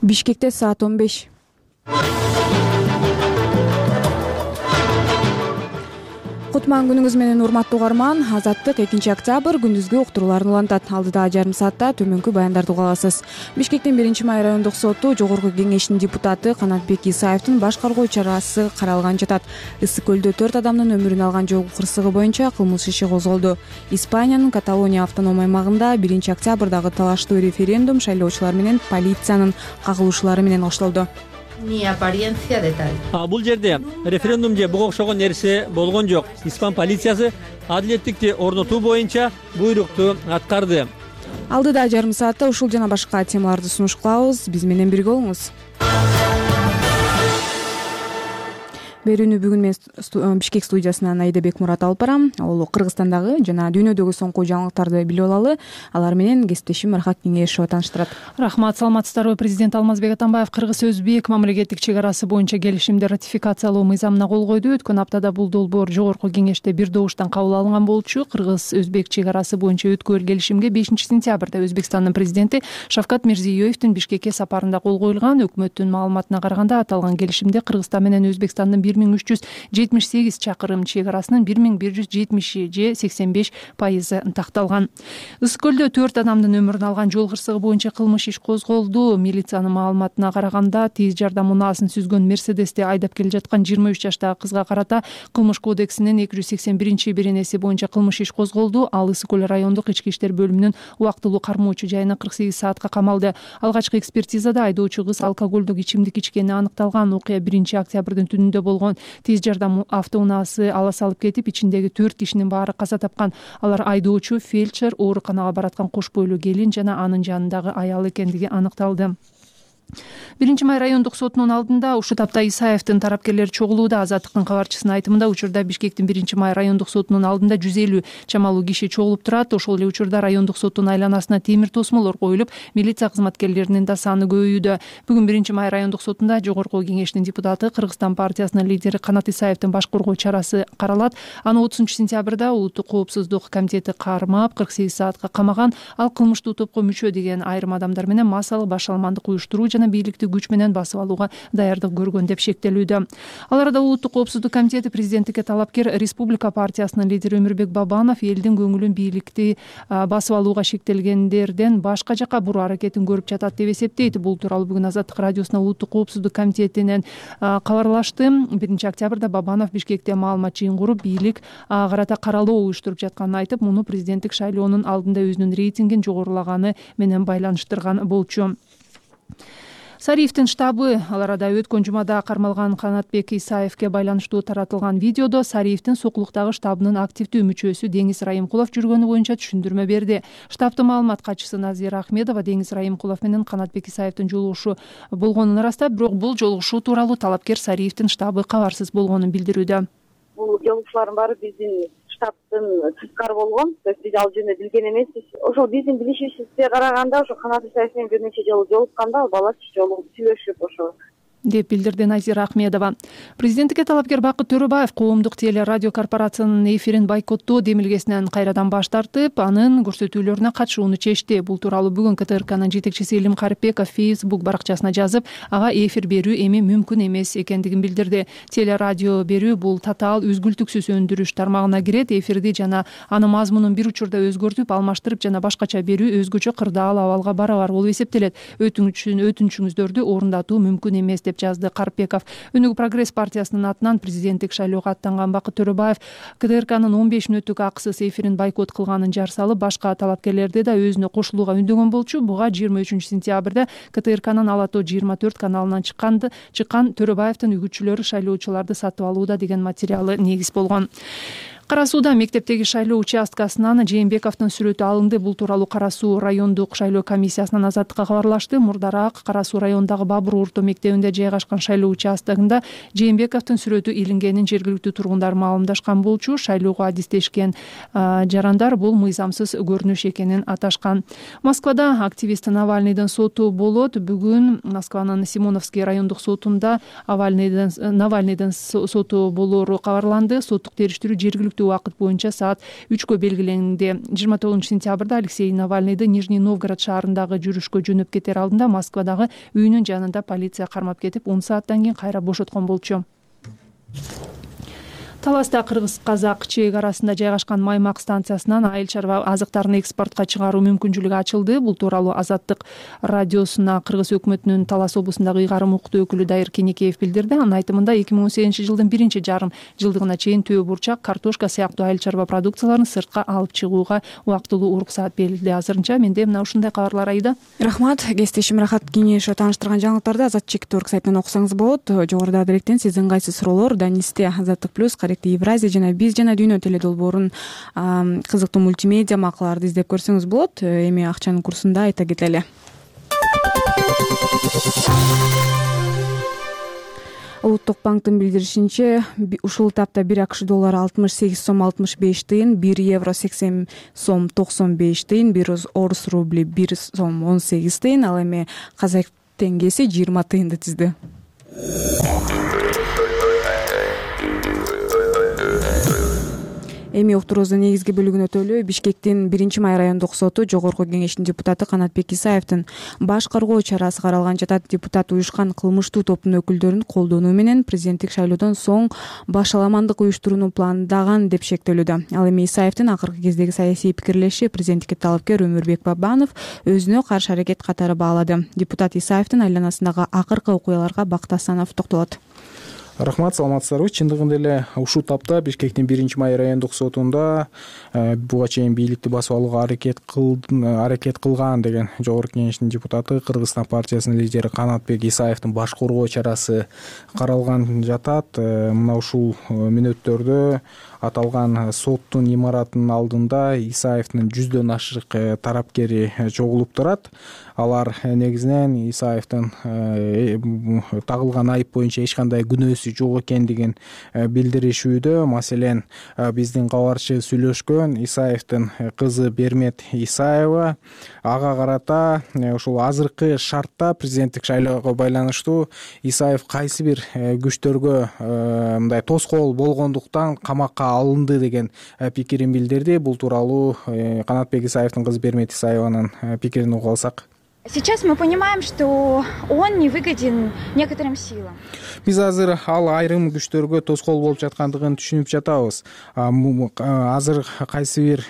Бишкекте саат 15. Кутман күнүңүз менен урматтуу угарман. Азаттык 2-октябрь күндүзгү уктурууларын улантат. Алдыдагы жарым саатта төмөнкү баяндарды уга аласыз. Бишкектин 1-май райондук соту Жогорку кеңештин депутаты Канатбек Исаевдин баш каргоо чарасы каралган жатат. Ысык көлдө 4 адамдын өмүрүн алган жол кырсыгы боюнча кылмыш иши козголду. Испаниянын Каталония автоном аймагында 1-октябрдагы талаштуу референдум шайлоочулар менен полициянын кагылышуулары менен башталды. Ni apariencia de tal. Бул жерде референдум же буга окшогон нерсе болгон жок. Испан полициясы адилеттикти орнотуу боюнча буйрукту аткарды. Алдыдагы жарым саатта ушул жана башка темаларды сунуш кылабыз. Биз менен бирге болуңуз. Берүүнү бүгүн мен Бишкек студиясынан Аида Бекмурат алып барам. Ал Кыргызстандагы жана дүйнөдөгү соңку жаңылыктарды билип алалы. Алар менен кесиптешим Архат Кеңешова тааныштырат. Рахмат, саламатсыздарбы? Президент Алмазбек Атамбаев Кыргыз-Өзбек мамлекеттик чек арасы боюнча келишимди ратификациялоо мыйзамына кол койду. Өткөн аптада бул долбоор Жогорку кеңеште бир добуштан кабыл алынган болчу. Кыргыз-Өзбек чек арасы боюнча өткөрүл келишимге 5-сентябрда Өзбекстандын президенти Шавкат Мирзиёевдин Бишкекке сапарында кол коюлган. Өкмөттүн маалыматына караганда аталган келишимде Кыргызстан менен Өзбекстандын 1378 чакырым чек арасынын 1170 же 85% такталган. Ысык көлдө 4 адамдын өмүрүн алган жол кырсыгы боюнча кылмыш иш козголду. Милициянын маалыматына караганда тез жардам унаасын сүзгөн Мерседести айдап келе жаткан 23 жаштагы кызга карата кылмыш кодексинин 281-беренеси боюнча кылмыш иш козголду. Ал Ысык көл райондук ички иштер бөлүмүнүн убактылуу кармоочу жайына 48 саатка камалды. Алгачкы экспертизада айдоочу кыз алкоголдук ичимдик ичкени аныкталган. Окуя 1-октябрдын түнүндө болгон. Тез жардам автоунаасы ала салып кетип, ичиндеги 4 кишинин баары каза тапкан. Алар айдоочу, фельдшер, ооруканага бараткан кош бойлуу келин жана анын жанындагы аял экендиги аныкталды. 1-май райондук сотунун алдында ушул тапта Исаевдин тарапкерлери чогулууда. Азаттыктын кабарчысынын айтымында, учурда Бишкектин 1-май райондук сотунун алдында 150 чамалуу киши чогулуп турат. Ошол эле учурда райондук соттун айланасына темир тосмолор коюлуп, милиция кызматкерлеринин да саны көбөйүүдө. Бүгүн 1-май райондук сотунда Жогорку кеңештин депутаты, Кыргызстан партиясынын лидери Канат Исаевдин баш коргоо чарасы каралат. Аны 30-сентябрда Улуттук коопсуздук комитети кармап 48 саатка камаган. Ал кылмыштуу топко мүчө деген айрым адамдар менен массалык башаламандык уюштуруу жана бийликти күч менен басып алууга даярдык көргөн деп шектелүүдө. Ал арада Улуттук коопсуздук комитети президенттикке талапкер Республика партиясынын лидери Өмүрбек Бабанов элдин көңүлүн бийликти басып алууга шектелгендерден башка жака буруу аракетин көрүп жатат деп эсептейт. Бул тууралуу бүгүн Азаттык радиосуна Улуттук коопсуздук комитетинен кабарлашты. 1-октябрда Бабанов Бишкекте маалымат жыйын куруп, бийлик ага карата каралоо уюштуруп жатканын айтып, муну президенттик шайлоонун алдында өзүнүн рейтингин жогорулаганы менен байланыштырган болчу. Сариевдин штабы ал арада өткөн жумада кармалган Канатбек Исаевге байланыштуу таратылган видеодо Сариевдин сокулуктагы штабынын активдүү мүчөсү Деңиз Райымкулов жүргөнү боюнча түшүндүрмө берди. Штабтын маалымат катчысы Назира Ахмедова Деңиз Райымкулов менен Канатбек Исаевдин жолугушу болгонун ырастап, бирок бул жолугушуу тууралуу талапкер Сариевдин штабы кабарсыз болгонун билдирүүдө. Бул жолугушуулардын баары биздин штабтын тышкары болгон. То есть биз ал жөнүндө билген эмеспиз. Ошол биздин билишибизге караганда ошо Канат Исаев менен бир нече жолу жолукканда, ал бала жолугуп сүйлөшүп ошо деп билдирди Назира Ахмедова. Президенттикке талапкер Бакыт Төрөбаев коомдук телерадио корпорациянын эфирин бойкоттоо демилгесинен кайрадан баш тартып, анын көрсөтүүлөрүнө катышууну чечти. Бул тууралуу бүгүн КТРКнын жетекчиси Илим Карипбеков Facebook баракчасына жазып, ага эфир берүү эми мүмкүн эмес экендигин билдирди. Телерадио берүү бул татаал үзгүлтүксүз өндүрүш тармагына кирет. Эфирди жана анын мазмунун бир учурда өзгөртүп, алмаштырып жана башкача берүү өзгөчө кырдаал абалга барабар болуп эсептелет. Өтүнүчүңүздөрдү орундатуу мүмкүн эмес деп жазды Карпеков. Өнүгүү прогресс партиясынын атынан президенттик шайлоого аттанган Бакыт Төрөбаев КТРКнын 15 мүнөттүк акысыз эфирин бойкот кылганын жар салып, башка талапкерлерди да өзүнө кошулууга үндөгөн болчу. Буга 23-сентябрда КТРКнын Ала Тоо 24 каналынан чыккан Төрөбаевдин үгүтчүлөрү шайлоочуларды сатып алууда деген материалы негиз болгон. Кара Сууда мектептеги шайлоо участкасынан Жээнбековдун сүрөтү алынды. Бул тууралуу Кара Суу райондук шайлоо комиссиясынан Азаттыкка кабарлашты. Мурдараак Кара Суу районундагы Бабур орто мектебинде жайгашкан шайлоо участогунда Жээнбековдун сүрөтү илингенин жергиликтүү тургундар маалымдашкан болчу. Шайлоого адистешкен жарандар бул мыйзамсыз көрүнүш экенин аташкан. Москвада активист Навальныйдын соту болот. Бүгүн Москванын Симоновский райондук сотунда Навальныйдын соту болору кабарланды. Соттук териштирүү жергиликтүү жергиликтүү убакыт боюнча саат 3кө белгиленди. 29-сентябрда Алексей Навальныйды Нижний Новгород шаарындагы жүрүшкө жөнөп кетер алдында Москвадагы үйүнүн жанында полиция кармап кетип, 10 сааттан кийин кайра бошоткон болчу. Таласта кыргыз-казак чек арасында жайгашкан Маймак станциясынан айыл чарба азыктарын экспортко чыгаруу мүмкүнчүлүгү ачылды. Бул тууралуу Азаттык радиосуна Кыргыз өкмөтүнүн Талас облусундагы ыйгарым укуктуу өкүлү Дайыр Кенекеев билдирди. Анын айтымында 2018-жылдын 1-жарым жылдыгына чейин төө бурчак, картошка сыяктуу айыл чарба продукцияларын сыртка алып чыгууга убактылуу уруксаат берилди. Азырынча менде мына ушундай кабарлар Айда. Рахмат. Кесиптешим Рахат Кеңешов тааныштырган жаңылыктарды Азат-чек.org сайтынан окусаңыз болот. Жогоруда далектен сиздин кайсы суроолор Данисте Азаттык плюс Евразия жана биз жана дүйнө теледолбоорун кызыктуу мультимедиа макалаларды издеп көрсөңүз болот. Эми акчанын курсунда айта кетели. Улуттук банктын билдиришинче, ушул тапта 1 АКШ доллары 68 сом 65 тыйын, 1 евро 80 сом 95 тыйын, 1 орус рубли 1 сом 18 тыйын, ал эми казак теңгеси 20 тыйынды тизди. Эми уктуруубуздун негизги бөлүгүнө өтөлү. Бишкектин 1-Май райондук соту Жогорку Кеңештин депутаты Канатбек Исаевдин баш каргоо чарасы каралган жатат. Депутат уюшкан кылмыштуу топтун өкүлдөрүн колдонуу менен президенттик шайлоодон соң башаламандык уюштурууну пландаган деп шектелүүдө. Ал эми Исаевдин акыркы кездеги саясий пикирлеши президенттикке талапкер Өмүрбек Бабанов өзүнө каршы аракет катары баалады. Депутат Исаевдин айланасындагы акыркы окуяларга Бакыт Асанов токтолот. Рахмат, саламатсыздарбы. Чындыгында эле ушул тапта Бишкектин 1-Май райондук сотунда буга чейин бийликти басып алууга аракет кылган деген Жогорку Кеңештин депутаты Кыргызстан партиясынын лидери Канатбек Исаевдин баш коргоо чарасы каралган жатат. Мына ушул мүнөттөрдө аталган соттун имаратынын алдында Исаевдин 100дөн ашык тарапкери чогулуп турат. Алар негизинен Исаевдин тагылган айып боюнча эч кандай күнөөсү жок экендигин билдиришүүдө. Маселен, биздин кабарчы сүйлөшкөн Исаевдин кызы Бермет Исаева ага карата ушул азыркы шартта президенттик шайлоого байланыштуу Исаев кайсы бир күчтөргө мындай тоскоол болгондуктан камакка алынды деген пикирин билдирди. Бул тууралуу Канатбек Исаевдин кызы Бермет Исаеванын пикирин угуп алсак. Сейчас мы понимаем, что он не выгоден некоторым силам. Биз азыр ал айрым күчтөргө тоскоол болуп жаткандыгын түшүнүп жатабыз. Азыр кайсы бир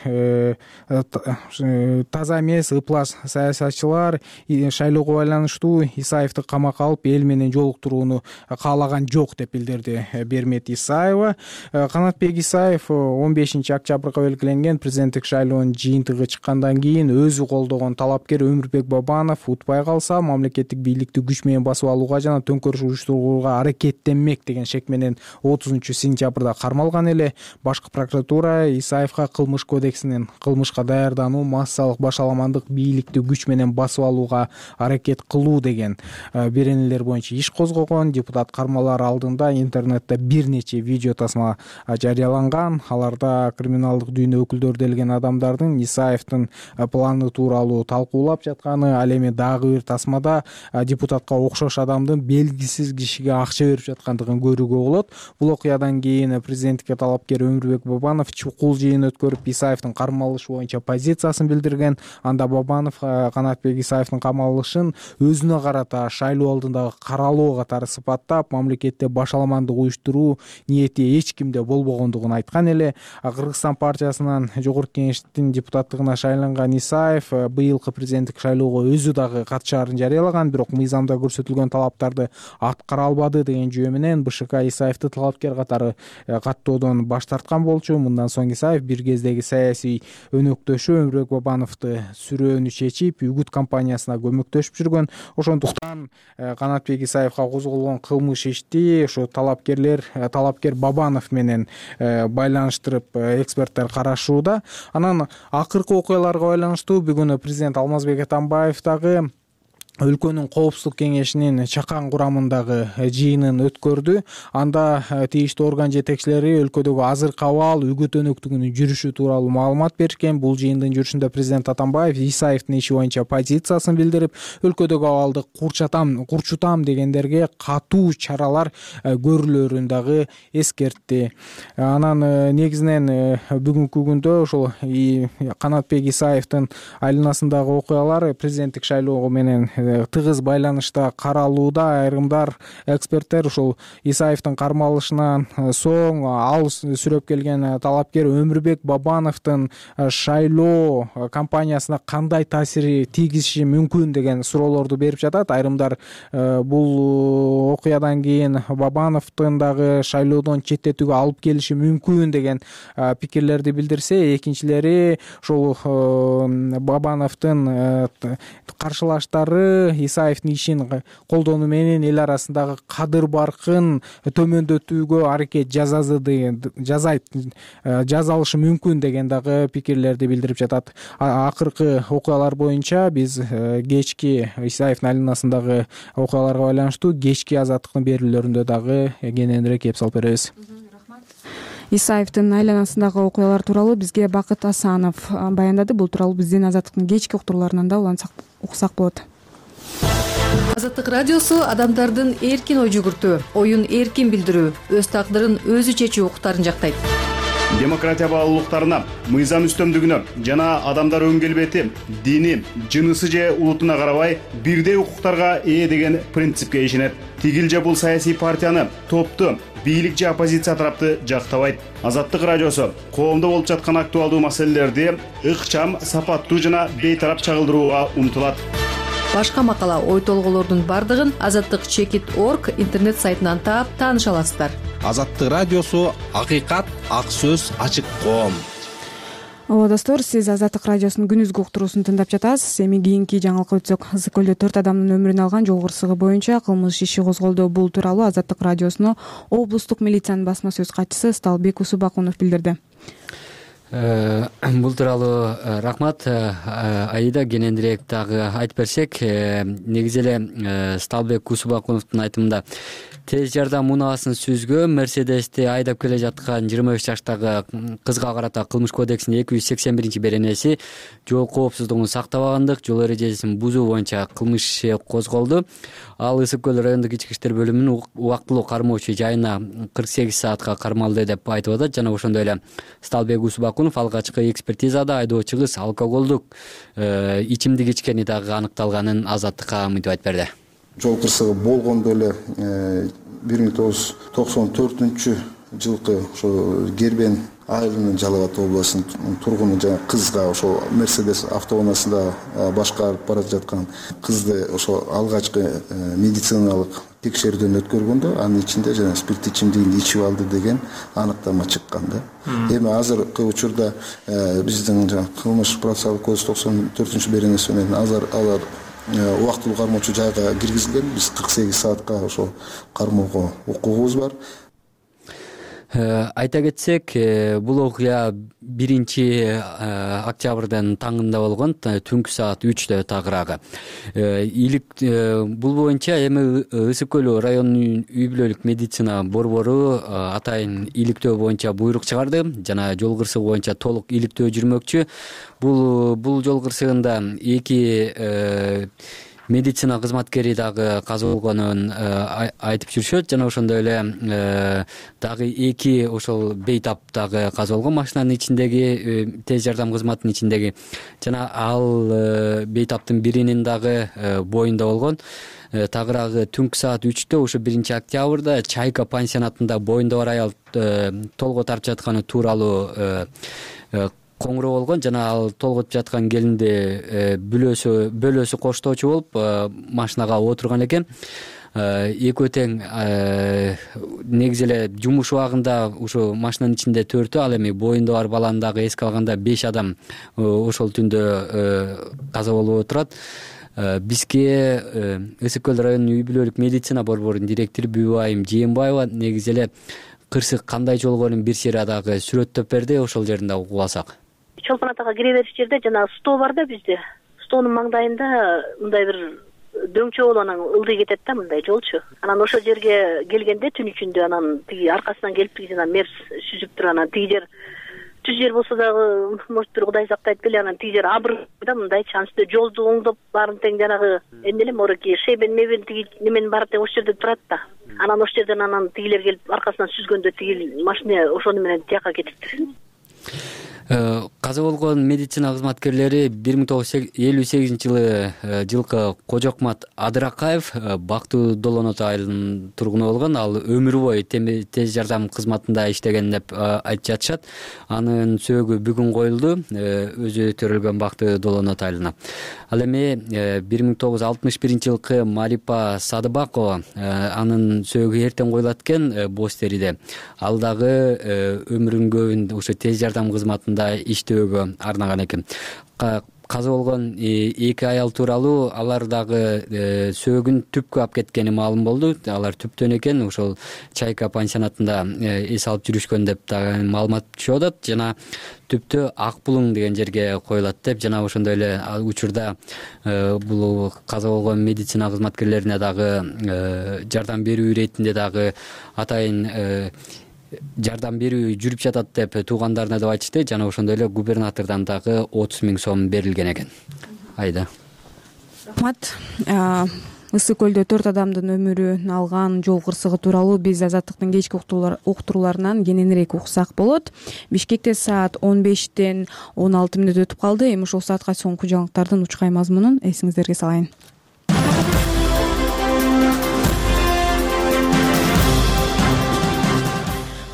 таза эмес ыплас саясатчылар шайлоого байланыштуу Исаевди камакка алып эл менен жолуктурууну каалаган жок деп билдирди Бермет Исаева. Канатбек Исаев 15-октябрга белгиленген президенттик шайлоонун жыйынтыгы чыккандан кийин өзү колдогон талапкер Өмүрбек Бабанов утпай калса мамлекеттик бийликти күч менен басып алууга жана төңкөрүш уюштурууга аракеттенмек деген шек менен 30-сентябрда кармалган эле. Башкы прокуратура Исаевга кылмыш кодексинин кылмышка даярдануу, массалык башаламандык бийликти күч менен басып алууга аракет кылуу деген беренелер боюнча иш козгогон. Депутат кармалар алдында интернетте бир нече видео тасма жарыяланган. Аларда криминалдык дүйнө өкүлдөрү делген адамдардын Исаевдин планы тууралуу талкуулап жатканы, ал эми дагы бир тасмада депутатка окшош адамдын белгисиз кишиге акча берип жаткандыгын көрүүгө болот. Бул окуядан кийин президенттикке талапкер Өмүрбек Бабанов чукул жыйын өткөрүп Исаевдин кармалышы боюнча позициясын билдирген. Анда Бабанов Канатбек Исаевдин камалышын өзүнө карата шайлоо алдындагы каралоо катары сыпаттап, мамлекетте башаламандык уюштуруу ниети эч кимде болбогондугун айткан эле. Кыргызстан партиясынан Жогорку Кеңештин депутаттыгына шайланган Исаев быйылкы президенттик шайлоого өзү дагы катышаарын жарыялаган, бирок мыйзамда көрсөтүлгөн талаптарды аткара албады деген жөө менен БШК Исаевди талапкер катары каттоодон баш тарткан болчу. Мындан соң Исаев бир кездеги саясий өнөктөшү Өмүрбек Бабановду сүрөөнү чечип, үгүт кампаниясына көмөктөшүп жүргөн. Ошондуктан Канатбек Исаевга козголгон кылмыш ишти ошо талапкер Бабанов менен байланыштырып эксперттер карашууда. Анан акыркы окуяларга байланыштуу бүгүн президент Алмазбек Атамбаев дагы өлкөнүн коопсуздук кеңешинин чакан курамындагы жыйынын өткөрдү. Анда тийиштүү орган жетекчилери өлкөдөгү азыркы абал, үгүт өнөктүгүнүн жүрүшү тууралуу маалымат беришкен. Бул жыйындын жүрүшүндө президент Атамбаев Исаевдин иши боюнча позициясын билдирип, өлкөдөгү абалды курчутам дегендерге катуу чаралар көрүлөрүн дагы эскертти. Анан негизинен бүгүнкү күндө ошол Канатбек Исаевдин айланасындагы окуялар президенттик шайлоо менен тыгыз байланышта каралууда. Айрымдар эксперттер ушул Исаевдин кармалышынан соң ал сүрөп келген талапкер Өмүрбек Бабановдун шайлоо кампаниясына кандай таасири тийгизиши мүмкүн деген суроолорду берип жатат. Айрымдар бул окуядан кийин Бабановдун дагы шайлоодон четтетүүгө алып келиши мүмкүн деген пикирлерди билдирсе, экинчилери ушул Бабановдун каршылаштары Исаевдин ишин колдонуу менен эл арасындагы кадыр баркын төмөндөтүүгө аракет жасалышы мүмкүн деген дагы пикирлерди билдирип жатат. Акыркы окуялар боюнча биз кечки Исаевдин айланасындагы окуяларга байланыштуу кечки азаттыктын берүүлөрүндө дагы кененирээк кеп салып беребиз. Исаевдин айланасындагы окуялар тууралуу бизге Бакыт Асанов баяндады. Бул тууралуу биздин азаттыктын кечки уктурууларынан да улантсак уксак болот. Азаттык радиосу адамдардын эркин ой жүгүртүү, оюн эркин билдирүү, өз тагдырын өзү чечүү укуктарын жактайт. Демократия баалуулуктарына, мыйзам үстөмдүгүнө жана адамдар өң келбети, дини, жынысы же улутуна карабай бирдей укуктарга ээ деген принципке ишенет. Тигил же бул саясий партияны, топту, бийлик же оппозиция тарапты жактабайт. Азаттык радиосу коомдо болуп жаткан актуалдуу маселелерди ыкчам, сапаттуу жана бейтарап чагылдырууга умтулат. Башка макала, ой толгоолордун бардыгын azattik.org интернет сайтынан таап тааныша аласыздар. Азаттык радиосу акыйкат, ак сөз, ачык коом. Ооба достор, сиз Азаттык радиосунун күнүзгү уктуруусун тыңдап жатасыз. Эми кийинки жаңылыкка өтсөк, Ысык көлдө 4 адамдын өмүрүн алган жол кырсыгы боюнча кылмыш иши козголду. Бул тууралуу Азаттык радиосуна облустук милициянын басма сөз катчысы Сталбек Усубакунов билдирди. Бул тууралуу рахмат. Аида кененирээк дагы айтып берсек, негизи эле Сталбек Усубакуновдун айтымында тез жардам унаасын сүзгө Мерседести айдап келе жаткан 25 жаштагы кызга карата Кылмыш кодексинин 281 беренеси жол коопсуздугун сактабагандык, жол эрежесин бузуу боюнча кылмыш иши козголду. Ал Ысык көл райондук ички иштер бөлүмүнүн убактылуу кармоочу жайына 48 саатка кармалды деп айтып атат. Жана ошондой эле Сталбек Усубакунов алгачкы экспертизада айдоочу кыз алкоголдук ичимдик ичкени дагы аныкталганын Азаттыкка мынтип айтып берди. Жол кырсыгы болгондо эле 1994 жылкы ошо Гербен айылынын Жалал Абад областынын тургуну жана кызга ошо Мерседес автоунаасында башкарып бара жаткан кызды ошо алгачкы медициналык текшерүүдөн өткөргөндө анын ичинде жана спирттик ичимдигин ичип алды деген аныктама чыккан да. Эми азыркы учурда биздин кылмыш процессуалдык кодекс 94 беренеси менен алар убактылуу кармоочу жайга киргизилген. Биз 48 саатка ошо кармоого укугубуз бар. Айта кетсек, бул окуя 1-октябрдын таңында болгон, түнкү саат 3-тө тагыраагы. Бул боюнча эми Ысык көл районунун үй бүлөлүк медицина борбору атайын иликтөө боюнча буйрук чыгарды жана жол кырсыгы боюнча толук иликтөө жүрмөкчү. Бул жол кырсыгында 2 медицина кызматкери дагы каза болгонун айтып жүрүшөт жана ошондой эле дагы 2 ошол бейтап дагы каза болгон машинанын ичиндеги, тез жардам кызматынын ичиндеги жана ал бейтаптын биринин дагы боюнда болгон. Тагыраагы түнкү саат 3-тө ошо 1-октябрда Чайка пансионатында боюнда бар аял толго тартып жатканы тууралуу коңгуроо болгон жана ал толготуп жаткан келинди бөлөсү коштоочу болуп машинага отурган экен. Экөө тең негизи эле жумуш убагында ушу машинанын ичинде 4-тө, ал эми боюнда бар баланы дагы эске алганда 5 адам ошол түндө каза болуп отурат. Бизге Ысык көл районунун үй бүлөлүк медицина борборунун директору Бүбайым Жээнбаева негизи эле кырсык кандай жолгонун бир сыйра дагы сүрөттөп берди, ошол жерин дагы угуп алсак. Чолпон атага кире бериш жерде жанагы стол бар да бизде. Столдун маңдайында мындай бир дөңчө болуп анан ылдый кетет да мындай жолчу. Анан ошол жерге келгенде түн ичинде анан тиги аркасынан келип тиги жана мерс сүзүп туруп анан тиги жер түз жер болсо дагы может бир Кудай сактайт беле, анан тиги жер абыр да мындайчы, анын үстүндө жолду оңдоп баарын тең жанагы эмне эле мореки шебен мебен тиги неменин баары тең ошол жерде турат да. Анан ошол жерден анан тигилер келип аркасынан сүзгөндө тиги машина ошону менен тияка кетиптир. Каза болгон медицина кызматкерлери 1958 жылкы Кожокмат Адыракаев Бактуу Долонот айылынын тургуну болгон. Ал өмүр бою тез жардам кызматында иштеген деп айтып жатышат. Анын сөөгү бүгүн коюлду өзү төрөлгөн Бактуу Долонот айылына. Ал эми 1961 жылкы Марипа Садыбакова анын сөөгү эртең коюлат экен Боз Териде. Ал дагы өмүрүнүн көбүн ошо тез жардам кызматында иштөөгө арнаган экен. Каза болгон эки аял тууралуу алар дагы сөөгүн түпкү алып кеткени маалым болду. Алар түптөн экен, ошол Чайка пансионатында эс алып жүрүшкөн деп дагы маалымат чыгып атат. Жана түптө Ак Булуң деген жерге коюлат деп, жана ошондой эле учурда бул каза болгон медицина кызматкерлерине дагы жардам берүү иретинде дагы атайын жардам берүү жүрүп жатат деп туугандарына деп айтышты. Жана ошондой эле губернатордон дагы 30 000 сом берилген экен. Айда. Рахмат. Ысык көлдө 4 адамдын өмүрүн алган жол кырсыгы тууралуу биз Азаттыктын кечки уктурууларынан кененирээк уксак болот. Бишкекте саат 15-тен 16 мүнөт өтүп калды. Эми ушул саатка соңку жаңылыктардын учкай мазмунун эсиңиздерге салайын.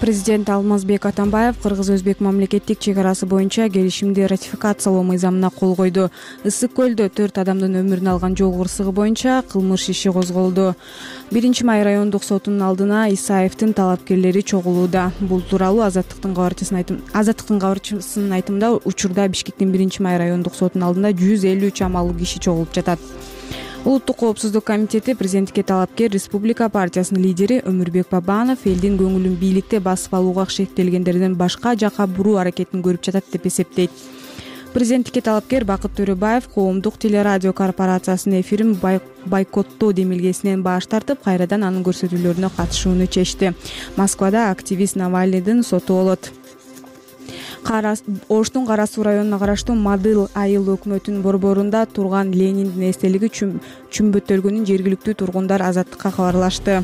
Президент Алмазбек Атамбаев кыргыз-өзбек мамлекеттик чек арасы боюнча келишимди ратификациялоо мыйзамына кол койду. Ысык көлдө 4 адамдын өмүрүн алган жол кырсыгы боюнча кылмыш иши козголду. 1-май райондук сотунун алдына Исаевдин талапкерлери чогулууда. Бул тууралуу Азаттыктын кабарчысынын айтымында учурда Бишкектин 1-май райондук сотунун алдында 153 амалуу киши чогулуп жатат. Улуттук коопсуздук комитети президенттикке талапкер Республика партиясынын лидери Өмүрбек Бабанов элдин көңүлүн бийликте басып алууга шектелгендердин башка жака буруу аракетин көрүп жатат деп эсептейт. Президенттикке талапкер Бакыт Төрөбаев коомдук телерадио корпорациясынын эфирин бойкоттоо демилгесинен баш тартып, кайрадан анын көрсөтүүлөрүнө катышууну чечти. Москвада активист Навальныйдын соту болот. Оштун Кара Суу районуна караштуу Мадыл айыл өкмөтүнүн борборунда турган Лениндин эстелиги чүмбөттөлгөнүн жергиликтүү тургундар Азаттыкка кабарлашты.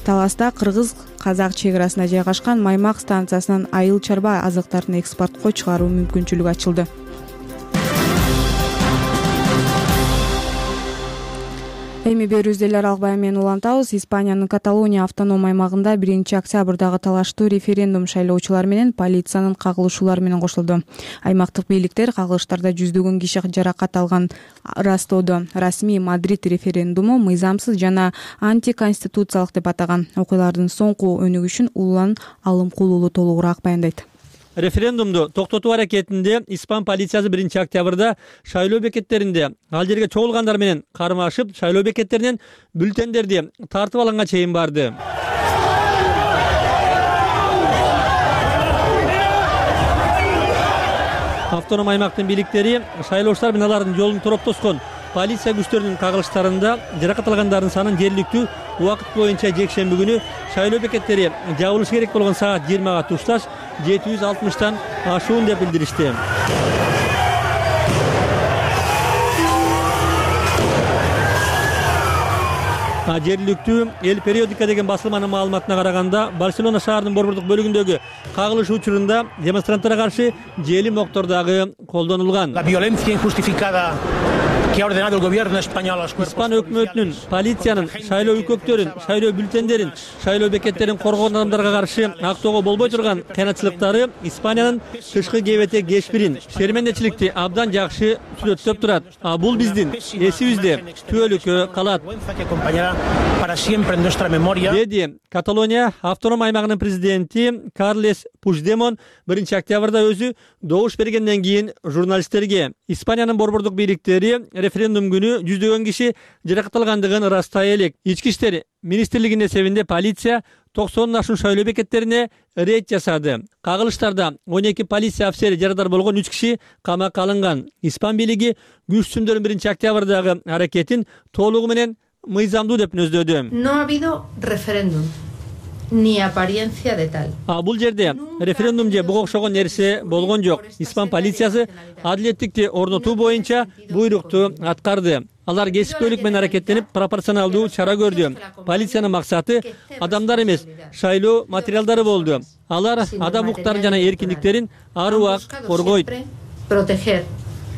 Таласта кыргыз-казак чек арасына жайгашкан Маймак станциясынан айыл чарба азыктарын экспортко чыгаруу мүмкүнчүлүгү ачылды. Эми берүүбүздү эл аралык баян менен улантабыз. Испаниянын Каталония автоном аймагында 1-октябрдагы талаштуу референдум шайлоочулар менен полициянын кагылышуулары менен кошулду. Аймактык бийликтер кагылыштарда жүздөгөн киши жаракат алган растоодо. Расмий Мадрид референдуму мыйзамсыз жана антиконституциялык деп атаган. Окуялардын соңку өнүгүшүн Улан Алымкулуулу толугураак баяндайт. Референдумду токтотуу аракетинде Испан полициясы 1-октябрда шайлоо бекеттеринде ал жерге чогулгандар менен кармашып, шайлоо бекеттеринен бюллетендерди тартып алганга чейин барды. Автоном аймактын бийликтери шайлоочулар менен алардын жолун тороп тоскон полиция күчтөрүнүн кагылыштарында жаракат алгандардын санын жергиликтүү убакыт боюнча жекшемби күнү шайлоо бекеттери жабылышы керек болгон саат 20-га тушташ 760 ашуун деп билдиришти. Жергиликтүү эл периодика деген басылманын маалыматына караганда, Барселона шаарынын борбордук бөлүгүндөгү кагылыш учурунда демонстранттарга каршы жели моктор дагы колдонулган. Испан өкмөтүнүн, полициянын шайлоо үкөктөрүн, шайлоо бюллетендерин, шайлоо бекеттерин коргогон адамдарга каршы актоого болбой турган кыянатчылыктары Испаниянын тышкы КБТ кечпирин, шермендечиликти абдан жакшы сүрөттөп турат. Бул биздин эсибизде түбөлүккө калат, деди Каталония автоном аймагынын президенти Карлес Пучдемон 1-октябрда өзү добуш бергенден кийин журналисттерге. Испаниянын борбордук бийликтери референдум күнү жүздөгөн киши жаракат алгандыгын ырастай элек. Ички иштер министрлигинин эсебинде полиция 90 ашуун шайлоо бекеттерине рейд жасады. Кагылыштарда 12 полиция офицери жарадар болгон 3 киши камакка алынган. Испан бийлиги күчтүндөрүн 1-октябрдагы аракетин толугу менен мыйзамдуу деп нөздөдү. No ha habido referéndum. Ni apariencia de tal. Бул жерде референдум же буга окшогон нерсе болгон жок. Испан полициясы адилеттикти орнотуу боюнча буйрукту аткарды. Алар кесипкөйлүк менен аракеттенип, пропорционалдуу чара көрдү. Полициянын максаты адамдар эмес, шайлоо материалдары болду. Алар адам укуктарын жана эркиндиктерин ар убакыт коргойт. Proteger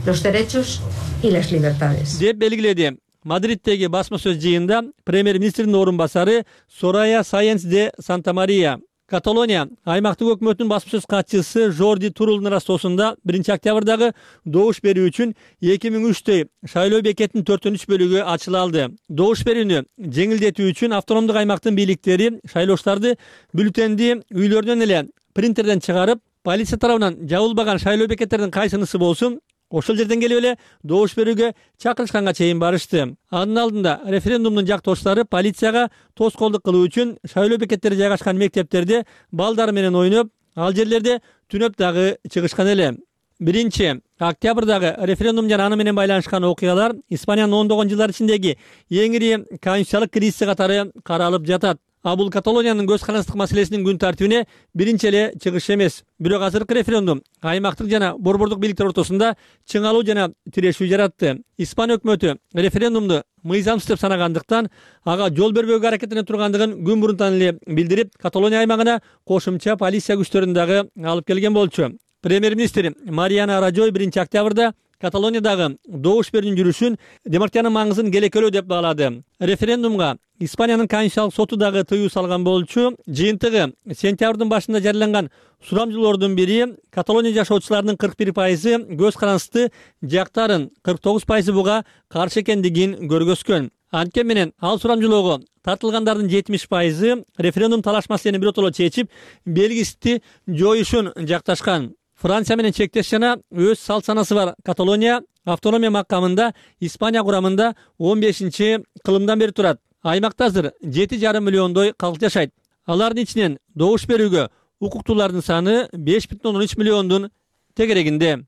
los derechos y las libertades. Деп белгиледи. Мадриттеги басма сөз жыйында премьер-министрдин орун басары Сорая Сайенс де Санта-Мария. Каталония аймактык өкмөтүнүн басма сөз катчысы Жорди Турулдун ырастоосунда 1-октябрдагы добуш берүү үчүн 2003 шайлоо бекетинин 4/3 бөлүгү ачыла алды. Добуш берүүнү жеңилдетүү үчүн автономдук аймактын бийликтери шайлоочуларды бюллетенди үйлөрүнөн эле принтерден чыгарып, полиция тарабынан жабылбаган шайлоо бекеттеринин кайсынысы болсун ошол жерден келип эле добуш берүүгө чакырышканга чейин барышты. Анын алдында референдумдун жактоочулары полицияга тоскоолдук кылуу үчүн шайлоо бекеттери жайгашкан мектептерде балдар менен ойноп, ал жерлерде түнөп дагы чыгышкан эле. 1-октябрдагы референдум жана аны менен байланышкан окуялар Испаниянын ондогон жылдар ичиндеги эң ири конституциялык кризиси катары каралып жатат. Бул Каталониянын көз карандык маселесинин күн тартибине биринчи эле чыгыш эмес. Бирок азыркы референдум аймактык жана борбордук бийликтер ортосунда чыңалуу жана тирешүү жаратты. Испан өкмөтү референдумду мыйзамсыз деп санагандыктан ага жол бербөөгө аракеттенип тургандыгын күн мурунтан эле билдирип, Каталония аймагына кошумча полиция күчтөрүн дагы алып келген болчу. Премьер-министр Мариана Рajой 1-октябрда Каталониядагы добуш берүүнүн жүрүшүн демократиянын маңызын келекелөө деп баалады. Референдумга Испаниянын конституциялык соту дагы тыюу салган болчу. Жыйынтыгы сентябрдын башында жарыяланган сурамжылоордун бири Каталония жашоочуларынын 41% көз карандысты жактарын, 49% буга каршы экендигин көргөзгөн. Анткени менен ал сурамжылоого тартылгандардын 70% референдум талаш маселени биротоло чечип, белгисти жоюшун жакташкан. Франция менен чектеш жана өз салт санасы бар Каталония автономия макамында Испания курамында 15-кылымдан бери турат. Аймакта азыр 7,5 миллиондой калк жашайт. Алардын ичинен добуш берүүгө укуктуулардын саны 5,13 миллиондун тегерегинде.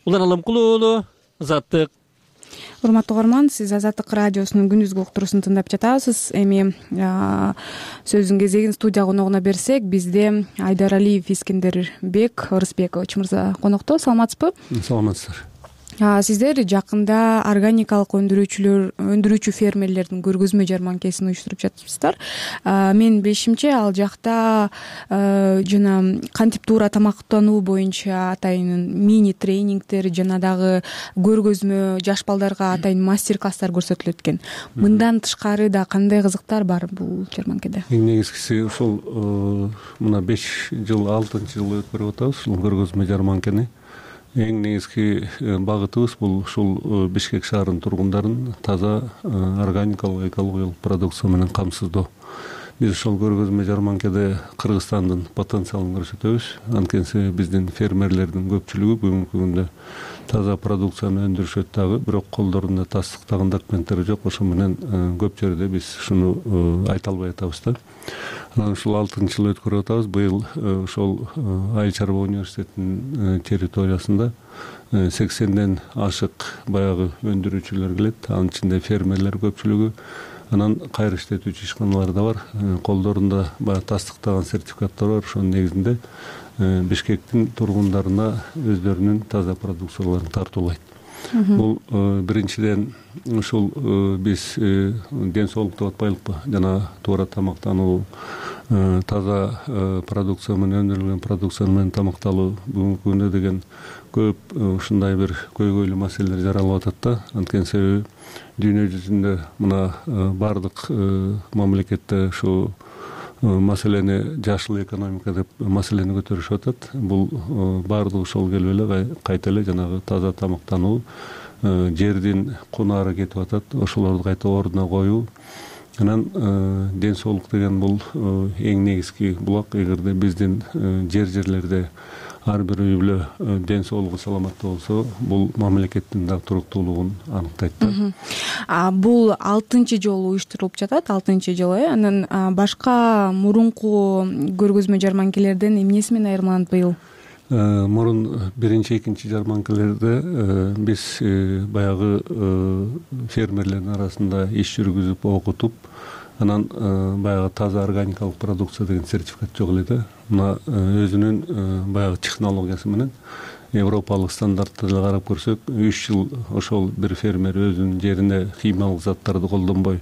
Улан Алымкулуу уулу, Азаттык. Урматтуу угарман, сиз Азаттык радиосунун күндүзгү уктуруусун тыңдап жатасыз. Эми сөздүн кезегин студия коногуна берсек, бизде Айдар Алиев Искендербек Ырысбекович мырза конокто. Саламатсызбы? Саламатсыздар. Сиздер жакында органикалык өндүрүүчү фермерлердин көргөзмө жарманкесин уюштуруп жатыпсыздар. Менин билишимче, ал жакта жана кантип туура тамактануу боюнча атайын мини тренингдер жана дагы көргөзмө, жаш балдарга атайын мастер-класстар көрсөтүлөт экен. Мындан тышкары да кандай кызыктар бар бул жарманкеде? Эң негизгиси ушул мына 5 жыл, 6-жыл өткөрүп атабыз ушул көргөзмө жарманкени. Эң негизги багытыбыз бул ушул Бишкек шаарынын тургундарын таза органикалык, экологиялык продукция менен камсыздоо. Биз ошол көргөзмө жарманкеде Кыргызстандын потенциалын көрсөтөбүз. Анткени биздин фермерлердин көпчүлүгү бүгүнкү күндө таза продукцияны өндүрүшөт дагы, бирок колдорунда тастыктаган документтери жок. Ошо менен көп жерде биз ушуну айта албай атабыз да. Анан ушул 6-жыл өткөрүп атабыз. Быйыл ошол Айыл чарба университетинин территориясында 80ден ашык баягы өндүрүүчүлөр келет. Анын ичинде фермерлер көпчүлүгү. Анан кайры иштетүүчү ишканалар да бар. Колдорунда баягы тастыктаган сертификаттар бар. Ошонун негизинде Бишкектин тургундарына өздөрүнүн таза продукцияларын тартуулайт. Бул биринчиден ушул биз ден соолук деп атпайлыкпы, жана туура тамактануу, таза продукция менен өндүрүлгөн продукция менен тамакталуу бүгүнкү күндө деген көп ушундай бир көйгөйлүү маселелер жаралып атат да. Анткени себеби дүйнө жүзүндө мына бардык мамлекетте ушу маселени жашыл экономика деп маселени көтөрүшүп атат. Бул баардыгы ошол келип эле кайта эле жанагы таза тамактануу, жердин кунары кетип атат, ошолорду кайта ордуна коюу. Анан ден соолук деген бул эң негизги булак. Эгерде биздин жерлерде ар бир үй бүлө ден соолугу саламаттуу болсо бул мамлекеттин дагы туруктуулугун аныктайт да. Бул 6-чы жолу уюштурулуп жатат, 6-чы жолу. Анан башка мурунку көргөзмө жарманкелерден эмнеси менен айырмаланат быйыл? Мурун 1-2 жарманкелерде биз баягы фермерлердин арасында иш жүргүзүп окутуп, анан баягы таза органикалык продукция деген сертификат жок эле да. Мына өзүнүн баягы технологиясы менен европалык стандартты деле карап көрсөк, 3 жыл ошол бир фермер өзүнүн жерине химиялык заттарды колдонбой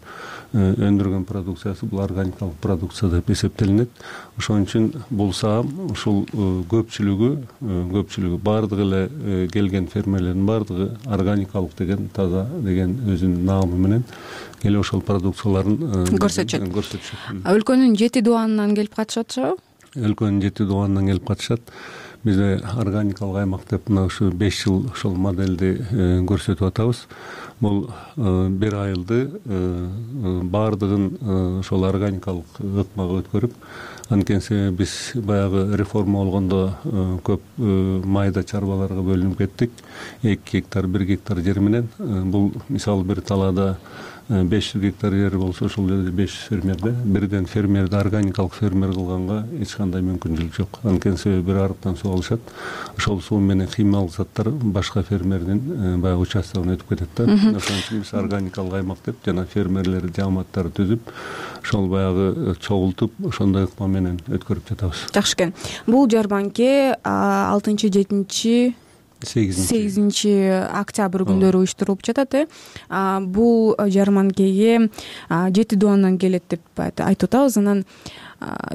өндүргөн продукциясы бул органикалык продукция деп эсептелинет. Ошон үчүн бул саам ушул көпчүлүгү баардыгы эле келген фермерлердин баардыгы органикалык деген, таза деген өзүнүн наамы менен келип ошол продукцияларын көрсөтүшөт. Өлкөнүн 7 дубанынан келип катышат. Өлкөнүн 7 дубанынан келип катышат. Бизде органикалык аймак деп мына ушу 5 жыл ошол модельди көрсөтүп атабыз. Бул бир айылды баардыгын ошол органикалык ыкмага өткөрүп, анткени себеби биз баягы реформа болгондо көп майда чарбаларга бөлүнүп кеттик. 2 гектар, 1 гектар жер менен бул мисалы бир талаада 500 гектар жер болсо, ошол жерде 500 фермерде бирден фермерди органикалык фермер кылганга эч кандай мүмкүнчүлүк жок. Анткени себеби бир арыктан суу алышат. Ошол суу менен химиялык заттар башка фермердин баягы участогуна өтүп кетет да. Ошон үчүн биз органикалык аймак деп жана фермерлер жааматтары түзүп, ошол баягы чогултуп, ошондой ыкма менен өткөрүп жатабыз. Жакшы экен. Бул жарманке 6-7 8 октябрь күндөрү уюштурулуп жатат. Бул жарманкеге 7 дубандан келет деп айтып атабыз. Анан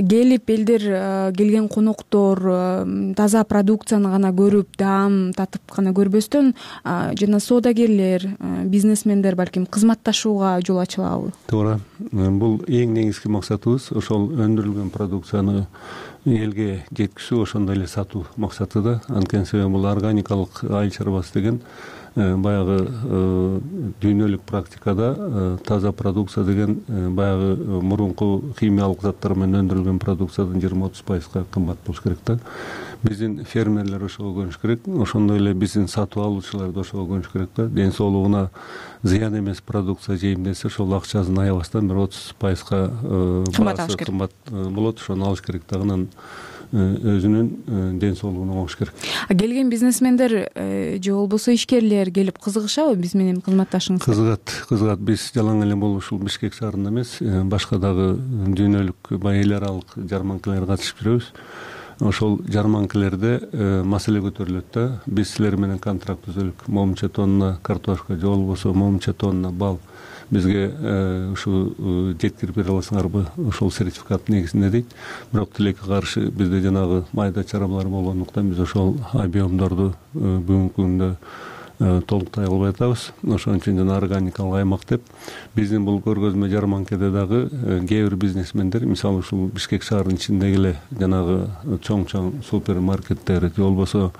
келип элдер, келген коноктор таза продукцияны гана көрүп, даам татып гана көрбөстөн, жана соодагерлер, бизнесмендер балким кызматташууга жол ачылабы? Туура. Бул эң негизги максатыбыз ошол өндүрүлгөн продукцияны элге жеткизүү, ошондой эле сатуу максаты да. Анткени себеби бул органикалык айыл чарбасы деген баягы дүйнөлүк практикада таза продукция деген баягы мурунку химиялык заттар менен өндүрүлгөн продукциядан 20-30% кымбат болуш керек да. Биздин фермерлер ошого көнүш керек, ошондой эле биздин сатып алуучулар да ошого көнүш керек да. Ден соолугуна зыян эмес продукция жейм десе, ошол акчасын аябастан бир 30% кымбат болот, ошону алыш керек да. Анан өзүнүн ден соолугуна коюш керек. Келген бизнесмендер же болбосо ишкерлер келип кызыгышабы биз менен кызматташыңызга? Кызыгат. Биз жалаң эле бул ушул Бишкек шаарында эмес, башка дагы дүйнөлүк эл аралык жарманкаларга катышып жүрөбүз. Ошол жарманкалерде маселе көтөрүлөт да. Биз силер менен контракт түзөлүк. Момунча тонна картошка же болбосо момунча тонна бал бизге ушу жеткирип бере аласыңарбы, ошол сертификат негизинде дейт. Бирок тилекке каршы бизде жанагы майда чарбалар болгондуктан биз ошол объемдорду бүгүнкү күндө толуктай албай атабыз. Ошон үчүн жана органикалык аймак деп биздин бул көргөзмө жарманкеде дагы кээ бир бизнесмендер, мисалы ушул Бишкек шаарынын ичиндеги эле жанагы чоң супермаркеттер же болбосо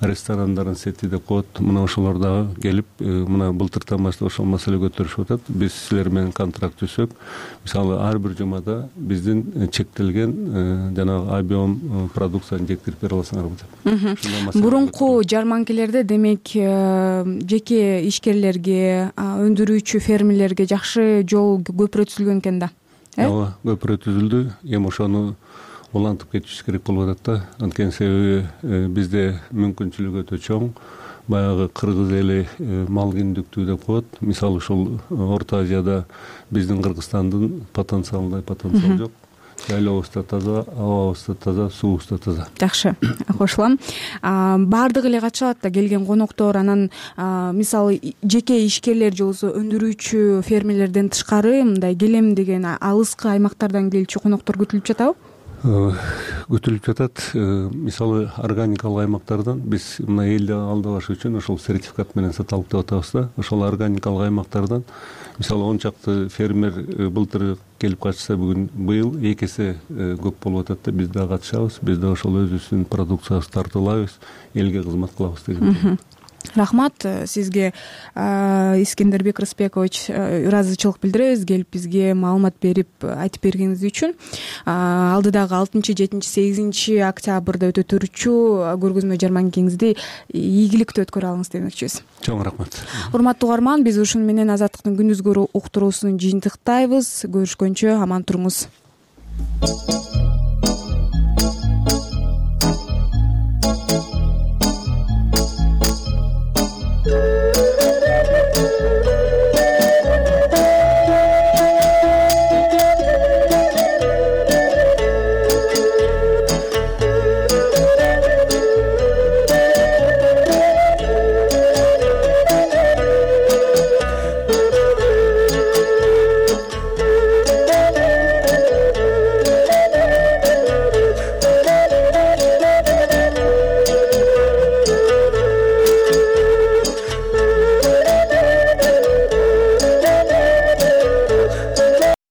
ресторандардын сети деп коет, мына ошолор дагы келип мына былтыртан баштап ошол маселе көтөрүшүп атат. Биз силер менен контракт түзсөк, мисалы ар бир жумада биздин чектелген жанагы объем продукцияны жеткирип бере аласыңарбы деп. Мурунку жарманкелерде демек жеке ишкерлерге, өндүрүүчү фермерлерге жакшы жол көпүрө түзүлгөн экен да. Ооба, көпүрө түзүлдү. Эми ошону улантып кетишибиз керек болуп атат да. Анткени себеби бизде мүмкүнчүлүк өтө чоң. Баягы кыргыз эли мал киндиктүү деп коет. Мисалы ушул Орто Азияда биздин Кыргызстандын потенциал жок. Жайлообуз да таза, абабыз да таза, суубуз да таза. Жакшы, кошулам. Баардыгы эле катышат да, келген коноктор. Анан мисалы жеке ишкерлер же болбосо өндүрүүчү фермерлерден тышкары мындай келем деген алыскы аймактардан келчү коноктор күтүлүп жатабы? Күтүлүп жатат. Мисалы органикалык аймактардан биз мына элди алдабаш үчүн ошол сертификат менен сата алып деп атабыз да. Ошол органикалык аймактардан мисалы 10 чакты фермер былтыр келип катышса, быйыл 2 эсе көп болуп атат да. Биз да катышабыз, биз да ошол өзүбүздүн продукциябызды тартып алабыз, элге кызмат кылабыз деген. рахмат сизге, Искендербек Рысбекович. Ыраазычылык билдиребиз келип бизге маалымат берип айтып бергениңиз үчүн. Алдыдагы 6-7 8 октябрда өтө турчу көргөзмө жарманкеңизди ийгиликтүү өткөрө алыңыз демекчибиз. Чоң рахмат. Урматтуу угарман, биз ушуну менен Азаттыктын күндүзгү уктуруусун жыйынтыктайбыз. Көрүшкөнчө аман туруңуз.